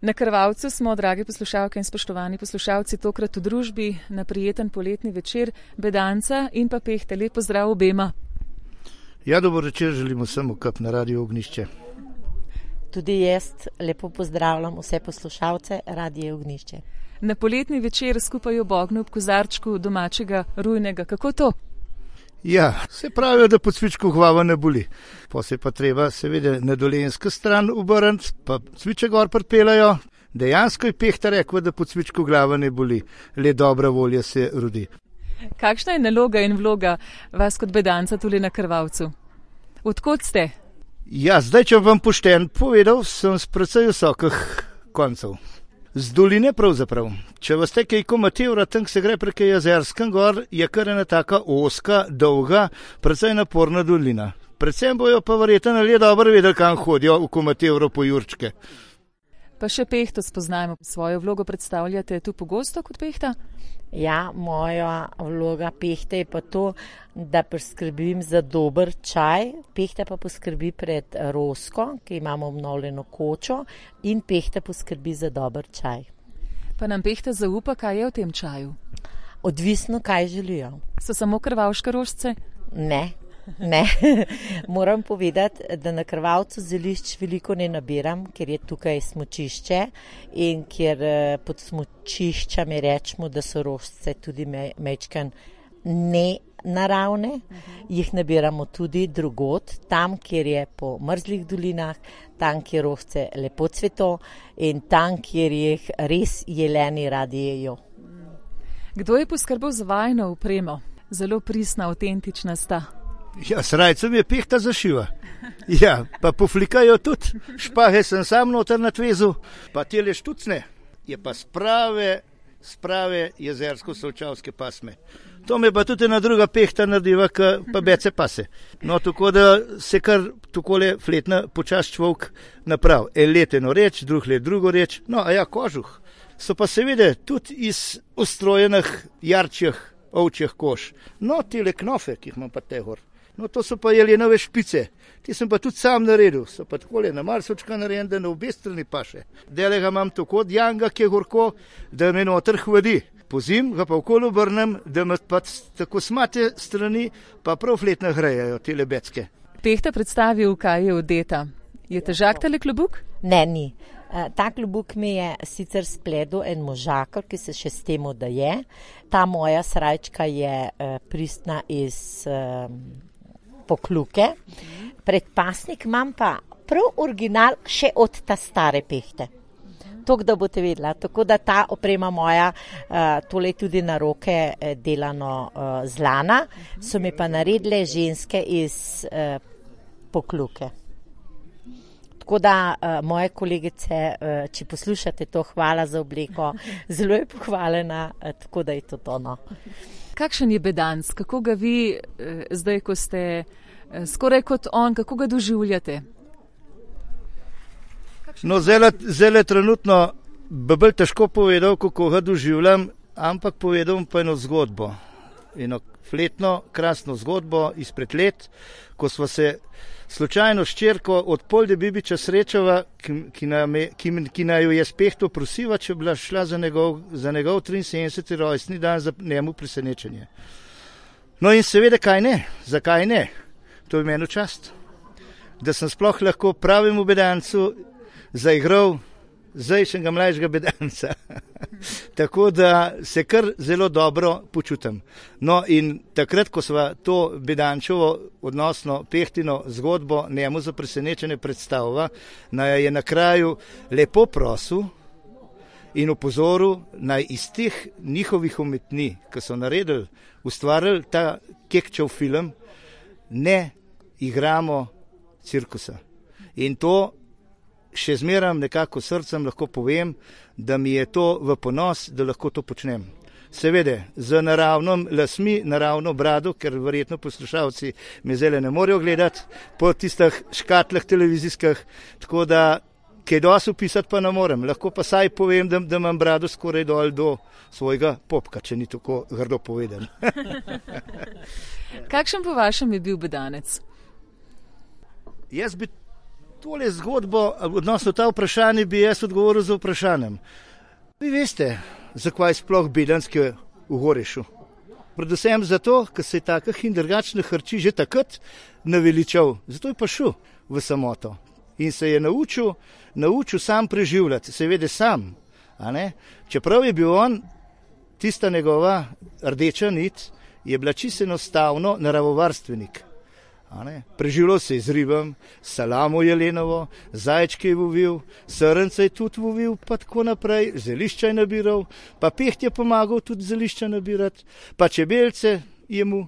Na Krvavcu smo, dragi poslušalke in spoštovani poslušalci, tokrat v družbi na prijeten poletni večer Bedanca in pa Pehte. Lep pozdrav obema. Ja, dober večer želimo vsem UKP na Radiu Ognjišče. Tudi jaz lepo pozdravljam vse poslušalce Radia Ognjišče. Na poletni večer skupaj ob ognju ob kozarčku domačega rujnega. Kako to? Ja, se pravijo, da pod cvičko glava ne boli. Pa se pa treba seveda na dolenjsko stran obrniti, pa cviče gor pripeljajo. Dejansko je Pehta rekla, da pod cvičko glava ne boli. Le dobra volja se rodi. Kakšna je naloga in vloga vas kot Bedanca tule na Krvavcu? Odkot ste? Ja, zdaj, če vam pošten povedal, sem z precej visokih koncev. Z doline pravzaprav. Če vas te kaj komatevra, tam se gre prek Jezerskem gor, je kar ena taka oska, dolga, precej naporna dolina. Predvsem bojo pa verjetno le dobro vedeli, kam hodijo v komatevro po jurčke. Pa še Pehto spoznajmo. Svojo vlogo predstavljate tu pogosto kot Pehta? Ja, moja vloga Pehte je pa to, da poskrbim za dober čaj. Pehta pa poskrbi pred Rosko, ki imamo obnovljeno kočo, in Pehta poskrbi za dober čaj. Pa nam Pehta zaupa, kaj je v tem čaju? Odvisno, kaj želijo. So samo krvavške rožice? Ne. Moram povedati, da na Krvavcu zelišč veliko ne nabiram, ker je tukaj smučišče in ker pod smučiščami rečemo, da so rožice tudi mečkan nenaravne. Jih nabiramo tudi drugod, tam, kjer je po mrzlih dolinah, tam, kjer rožice lepo cveto in tam, kjer jih res jeleni radi jejo. Kdo je poskrbel za vajino opremo? Zelo pristna, avtentična sta. Ja, srajcem je Pehta zašiva. Ja, pa poflikajo tudi. Špahe sem sam noter na tvezu, pa tele štucne. Je pa sprave jezersko-solčavske pasme. To me pa tudi ena druga Pehta narediva, pa bece pase. No, tako da se kar takole fletna počas človek naprav. Leteno reč, drug let drugo reč. No, a ja, kožuh. So pa seveda tudi iz ustrojenih jarčjih ovčjih kož. No, tele knofe, ki jih imam pa te gor. No, to so pa jelenove špice. Ti sem pa tudi sam naredil. So pa takole na marsočka narejen, da na obe strani paše. Dele ga imam tako od janga, ki je gorko, da me noter hladi. Pozim ga pa okolo obrnem, da me pa tako smate strani, pa prav fletno hrejajo tele becke. Pehta predstavil, kaj je odeta. Je težak tale klobuk? Ne, ni. Ta klobuk mi je sicer spledel en možakar, ki se še s temu, da je. Ta moja srajčka je pristna iz Pokluke. Predpasnik imam pa prav original še od ta stare Pehte. Tok, da boste vedela. Tako da ta oprema moja, tole tudi na roke delano z lana, so mi pa naredile ženske iz Pokluke. Tako da moje kolegice, če poslušate to, hvala za obleko, zelo je pohvaljena, tako da je to tono. Kakšen je Bedanc? Kako ga vi zdaj, ko ste skoraj kot on, kako ga doživljate? No, zelo trenutno bi bolj težko povedal, kako ga doživljam, ampak povedal pa eno zgodbo. Eno fletno, krasno zgodbo izpred let, ko smo se slučajno s čerko od Polde Bibiča srečava, ki naju je s Pehto prosiva, če bila šla za njegov 73. rojstni dan za njemu presenečenje. No in seveda, kaj ne? Zakaj ne? To je meni čast, da sem sploh lahko pravemu Bedancu zaigral zdajšnjega mlajšega Bedanca. Tako da se kar zelo dobro počutim. No in takrat, ko sva to Bedančevo, odnosno Pehtino zgodbo njemu za presenečenje predstavila, naj je na kraju lepo prosil in opozoril, naj iz teh njihovih umetnin, ki so naredili, ustvarili ta Kekčev film, ne igramo cirkusa. In to še zmeram nekako srcem lahko povem, da mi je to v ponos, da lahko to počnem. Seveda, z naravnom lasmi, naravno brado, ker verjetno poslušalci me zdaj ne morejo gledati po tistih škatlah televizijskih, tako da kaj dosti opisati pa ne morem. Lahko pa saj povem, da imam brado skoraj dol do svojega popka, če ni tako grdo povedan. Kakšen po vašem je bil Bedanec? Jaz bi tole zgodbo, odnosno ta vprašanje bi jaz odgovoril z vprašanjem. Vi veste, zakaj sploh Bedanski v Gorešu? Predvsem zato, ker se je takih in drugačnih hrči že takrat naveličal. Zato je pa šel v samoto in se je naučil sam preživljati, seveda sam. A ne? Čeprav je bil on, tista njegova rdeča nit, je bila čisto enostavno naravovarstvenik. Preživljal se je z ribam, salamo jelenovo, zajčke je vovil, srnce je tudi vovil, pa tako naprej, zelišča je nabiral, pa peht je pomagal tudi zelišča nabirati, pa čebelce je mu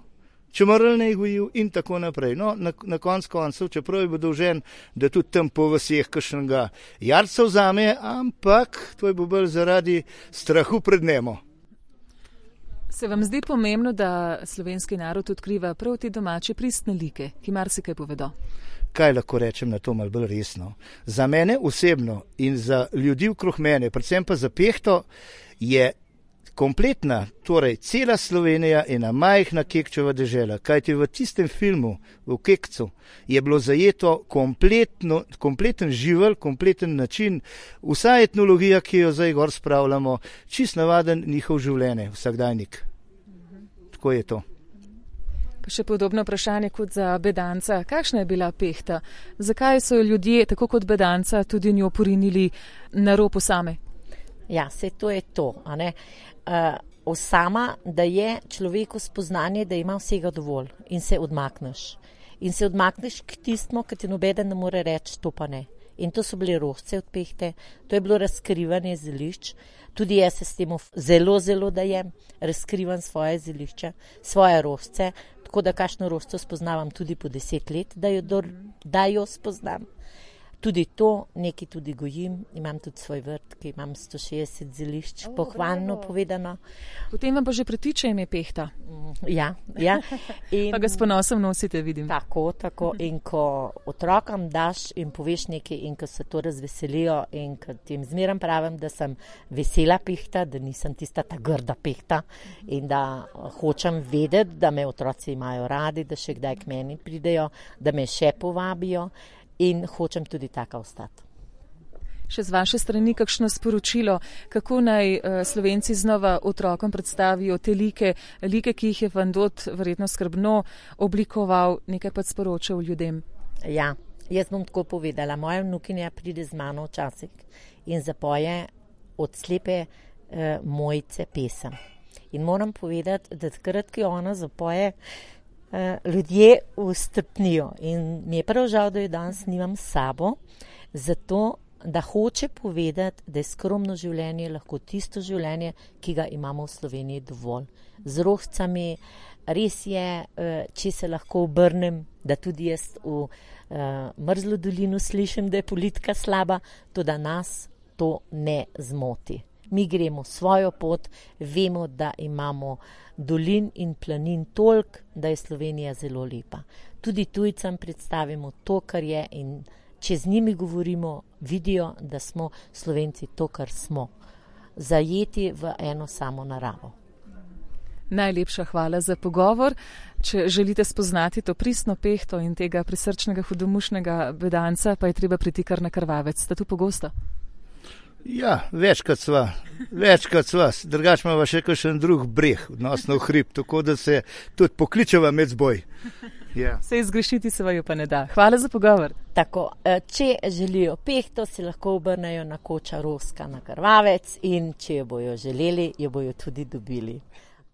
čemrlne je gojil in tako naprej. No, na koncu, čeprav je bil dolžen, da tudi tam po vseh kakšnega jarca vzame, ampak to je bil bolj zaradi strahu pred Nemo. Se vam zdi pomembno, da slovenski narod odkriva prav te domače pristne like, ki marsikaj povedo? Kaj lahko rečem na to malo bolj resno? Za mene osebno in za ljudi okrog mene, predvsem pa za Pehto, je kompletna, torej cela Slovenija ena majhna Kekčeva dežela. Kajti v tistem filmu, v Kekcu, je bilo zajeto kompleten živelj, kompleten način, vsa etnologija, ki jo zdaj gor spravljamo, čist navaden njihov življenje, vsakdajnik. Tako je to. Pa še podobno vprašanje kot za Bedanca. Kakšna je bila Pehta? Zakaj so ljudje, tako kot Bedanca, tudi njo porinili na rob osame? Ja, se to je to, a ne? Osama, da je človeku spoznanje, da ima vsega dovolj in se odmakneš. In se odmakneš k tistmu, ki ti nobeden ne more reči, to pa ne. In to so bile rožce od Pehte, to je bilo razkrivanje zelišč. Tudi jaz se s tem zelo dajem, razkrivam svoje zelišča, svoje rožce, tako da kakšno rožco spoznavam tudi po 10 let, da jo spoznam. Tudi to, nekaj tudi gojim, imam tudi svoj vrt, ki imam 160 zelišč, pohvalno povedano. Potem vam pa že pritiče ime Pehta. Ja. In pa ga s ponosom nosite, vidim. Tako. In ko otrokom daš in poveš nekaj in ko se to razveselijo in ko tem zmeram pravim, da sem vesela Pehta, da nisem tista ta grda Pehta in da hočem vedeti, da me otroci imajo radi, da še kdaj k meni pridejo, da me še povabijo. In hočem tudi taka ostati. Še z vaše strani kakšno sporočilo, kako naj Slovenci znova otrokom predstavijo te like, ki jih je Van Dot verjetno skrbno oblikoval, nekaj pa sporočal ljudem? Ja, jaz bom tako povedala. Moja vnukinja pride z mano včasih in zapoje od slepe Mojce pesem. In moram povedati, da takrat, ki ona zapoje, ljudje vstopnijo in mi je prav žal, da jo danes nimam s sabo, zato da hoče povedati, da je skromno življenje lahko tisto življenje, ki ga imamo v Sloveniji dovolj. Z rožcami res je, če se lahko obrnem, da tudi jaz v Mrzlo dolino slišim, da je politika slaba, to da nas to ne zmoti. Mi gremo svojo pot, vemo, da imamo dolin in planin toliko, da je Slovenija zelo lepa. Tudi tujcem predstavimo to, kar je in če z njimi govorimo, vidijo, da smo Slovenci to, kar smo. Zajeti v eno samo naravo. Najlepša hvala za pogovor. Če želite spoznati to pristno Pehto in tega prisrčnega hudomušnega Bedanca, pa je treba priti kar na Krvavec. Ste tu pogosto? Ja, večkrat sva, drugače imamo še kakšen drug breh, odnosno hrib, tako da se tudi pokličeva med zboj. Ja. Se izgrešiti se vaju pa ne da. Hvala za pogovor. Tako, če želijo Pehto, se lahko obrnejo na Koča Roska na Krvavec in če jo bojo želeli, jo bojo tudi dobili.